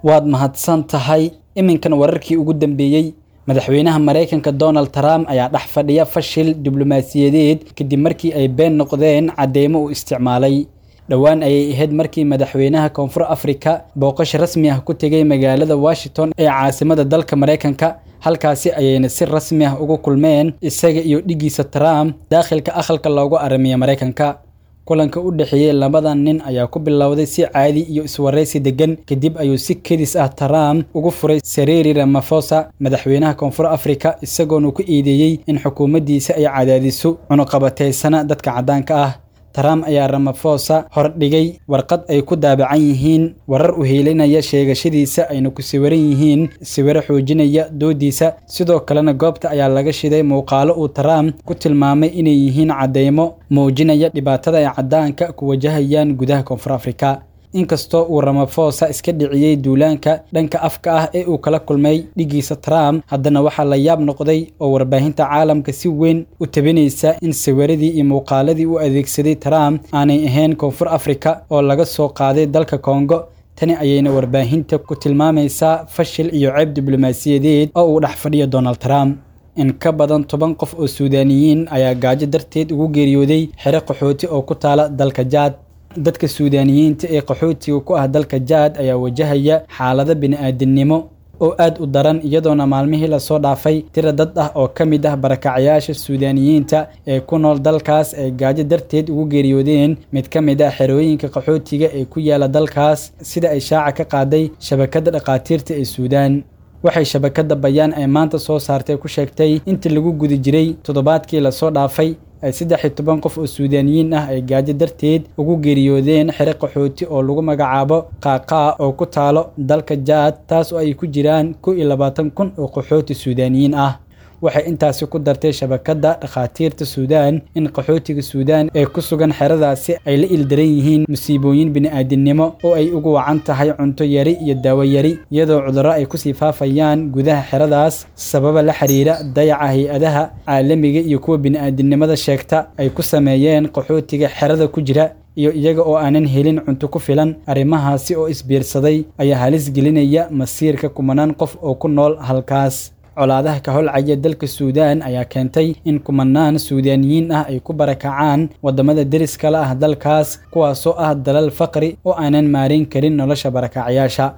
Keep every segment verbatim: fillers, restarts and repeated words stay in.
Waad mahadsan tahay. Iminkan wararkii ugu dambeeyey. Madaxweynaha Maraykanka Donald Trump ayaa dhex fadhiya fashil diblomaasiyadeed kadib markii ay been noqdeen cadeymo uu isticmaalay. Dhowaan ayay ahayd markii madaxweynaha Koonfur Afrika booqasho rasmi ah ku tegay magaalada Washington ee caasimada dalka Maraykanka. Halkaasi ayayna si rasmi ah ugu kulmeen isaga iyo dhigiisa Trump daakhilka aqalka loogu aramiya Maraykanka. Kulanka u dhexeeyey labadan nin ayaa ku bilowday si caadi iyo iswareysi degan. Kadib ayuu si kedis ah Trump ugu furay Cyril Ramaphosa, madaxweynaha Koonfur Afrika, isagoona ku eedeeyey in xukuumaddiisa ay cadaadiso cunuqabateysana dadka caddaanka ah. Trump ayaa Ramaphosa hordhigay warqad ay ku daabacan yihiin warar u heelinaya sheegashadiisa, ayna ku sawiran yihiin sawirro xoojinaya doodiisa. Sidoo kalena goobta ayaa laga shiday muuqaalo uu Trump ku tilmaamay inay yihiin cadeymo muujinaya dhibaatada ay caddaanka ku wajahayaan gudaha Koonfur Afrika. Inkastoo uu Ramaphosa iska dhiciyey duulaanka dhanka afka ah ee uu kala kulmay dhigiisa Trump, haddana waxaa la yaab noqday oo warbaahinta caalamka si weyn u tabinaysa in sawiradii iyo muuqaaladii uu adeegsaday Trump aanay ahayn Koonfur Afrika oo laga soo qaaday dalka Kongo. Tani ayayna warbaahinta ku tilmaamaysaa fashil iyo ceeb diblomaasiyadeed oo uu dhex fadhiyo Donald Trump. In ka badan toban qof oo Suudaaniyiin ayaa gaajo darteed ugu geeriyooday xero qaxooti oo ku taala dalka Jaad. Dadka Suudaaniyiinta ee qaxootiga ku ah dalka Jaad ayaa wajahaya xaalado bini'aadinimo oo aad u daran, iyadoona maalmihii lasoo dhaafay tiro dad ah oo ka mid ah barakacyaasha Suudaaniyiinta ee ku nool dalkaas ay gaajo darteed ugu geeriyoodeen mid ka mid ah xerooyinka qaxootiga ee ku yaala dalkaas, sida ay shaaca ka qaaday shabakadda dhakhaatiirta ee Suudaan. Waxay shabakadda bayaan ay maanta soo saartay ku sheegtay intii lagu guda jiray toddobaadkii lasoo dhaafay ay saddex iyo toban qof oo Suudaaniyiin ah ay gaajo darteed ugu geeriyoodeen xero qaxooti oo lagu magacaabo Qaaqaa oo ku taalo dalka Jaad, taas oo ay ku jiraan kow iyo labaatan kun oo qaxooti Suudaaniyiin ah. Waxay intaasi ku dartay shabakadda dhakhaatiirta Suudaan in qaxootiga Suudaan ee ku sugan xeradaasi ay la ildaran yihiin musiibooyin bini'aadinimo oo ay ugu wacan tahay cunto yari iyo daawo yari, iyadoo cudurro ay kusii faafayaan gudaha xeradaas sababa la xiriira dayaca hay-adaha caalamiga iyo kuwa bini'aadinimada sheegta ay ku sameeyeen qaxootiga xerada ku jira, iyo iyaga oo aanan helin cunto ku filan. Arrimahaasi oo isbiirsaday ayaa halis gelinaya masiirka kumanaan qof oo ku nool halkaas. Colaadaha ka holcaya dalka Suudaan ayaa keentay in kumanaan Suudaaniyiin ah ay ku barakacaan waddamada deriska la ah dalkaas, kuwaasoo ah dalal faqri oo aanan maareyn karin nolosha barakacyaasha.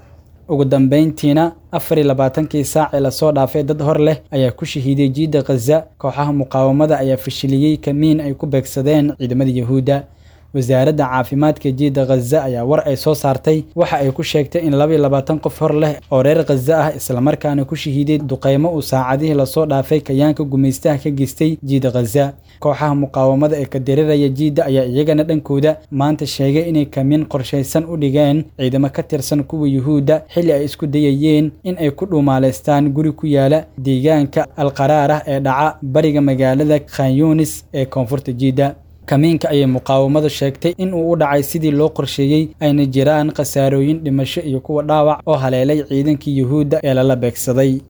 Ugu dambeyntiina, afar iyo labaatankii saac ee lasoo dhaafay dad hor leh ayaa ku shahiiday jiidda Khaza. Kooxaha muqaawamada ayaa fashiliyey kamiin ay ku beegsadeen ciidamada Yahuudda. Wasaaradda caafimaadka jiidda Khaza ayaa war ay soo saartay waxa ay ku sheegtay in laba iyo labaatan qof hor leh oo reer Khaza ah islamarkaana ku shahiiday duqeymo uu saacadihii lasoo dhaafay kayaanka gumaystaha ka geystay jiidda Khaza. Kooxaha muqaawamada ee ka dareeraya jiidda ayaa iyagana dhankooda maanta sheegay inay kamiin qorshaysan u dhigeen ciidamo ka tirsan kuwa Yuhuudda xilli ay isku dayayeen in ay ku dhuumaaleystaan guri ku yaala deegaanka Alqaraarah ee dhaca bariga magaalada Khan Yunis ee koonfurta jiidda. Kamiinka ayay muqaawamadu sheegtay in uu u dhacay sidii loo qorsheeyey, ayna jiraan khasaarooyin dhimasho iyo kuwa dhaawac oo haleelay ciidankii Yuhuudda ee lala beegsaday.